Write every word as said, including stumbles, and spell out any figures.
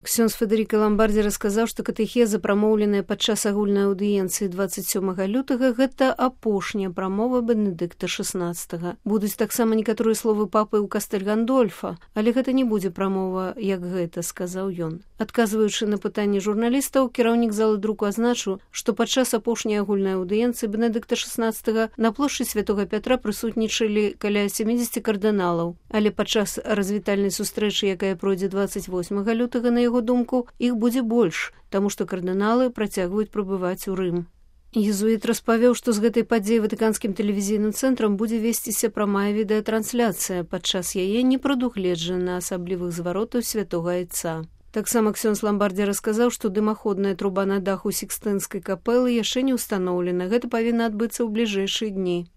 Ксёндз Федэрыка Ламбардзі расказаў, што катэхеза, прамоўленая падчас агульнай аўдыенцыі дваццаць сёмага лютага, гэта апошняя прамова Бенедыкта шаснаццатага. Будуць таксама некаторыя словы папы ў Кастэль Гандольфа, але гэта не будзе прамова, як гэта, сказаў ён. Адказваючы на пытанні журналістаў, кіраўнік залы друку азначыў, што падчас апошняй агульнай аўдыенцыі Бенедыкта шаснаццатага на плошчы Святога Пятра прысутнічалі каля сямідзесяці кардыналаў, але падчас развітальнай сустрэчы, якая пройдзе дваццаць восьмага лютага, на яго думку, іх будзе больш, таму што кардыналы працягваюць прыбываць у Рым. Езуіт распавёў, што з гэтай падзеі ватыканскім тэлевізійным цэнтрам будзе весціся прамая відэатрансляцыя, падчас яе не прадугледжана асаблівых зваротаў святога айца. Таксама ксёндз Ламбардзі расказаў, што дымаходная труба на даху Сікстынскай капэлы яшчэ не ўстаноўлена, гэта павінна адбыцца ў бліжэйшыя дні.